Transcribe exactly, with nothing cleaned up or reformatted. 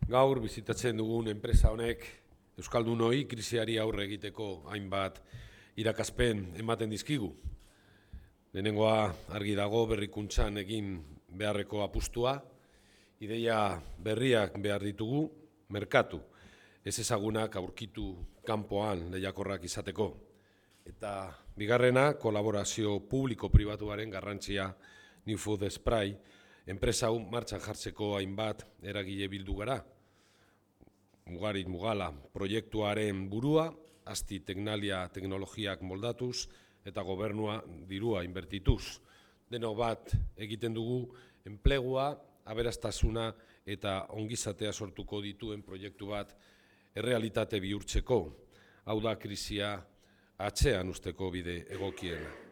Gaur bizitatzen dugun enpresa honek euskaldunoi krisiari aurre egiteko hainbat irakaspen ematen dizkigu. Lehenengoa argi dago berrikuntzan egin beharreko apustua, ideia berriak behar ditugu, merkatu, ez ezagunak aurkitu kanpoan lehiakorrak izateko. Eta bigarrena, kolaborazio publiko-pribatuaren garrantzia New Food Spray, enpresa hau martxan jartzeko hainbat eragile bildu gara. Mugarit Mugala proiektuaren burua, Asti Teknalia teknologiak moldatuz eta gobernua dirua inbertituz. Denok bat egiten dugu enplegua, aberastasuna eta ongizatea sortuko dituen proiektu bat errealitate bihurtzeko. Hau da krisia atzean usteko bide egokiena.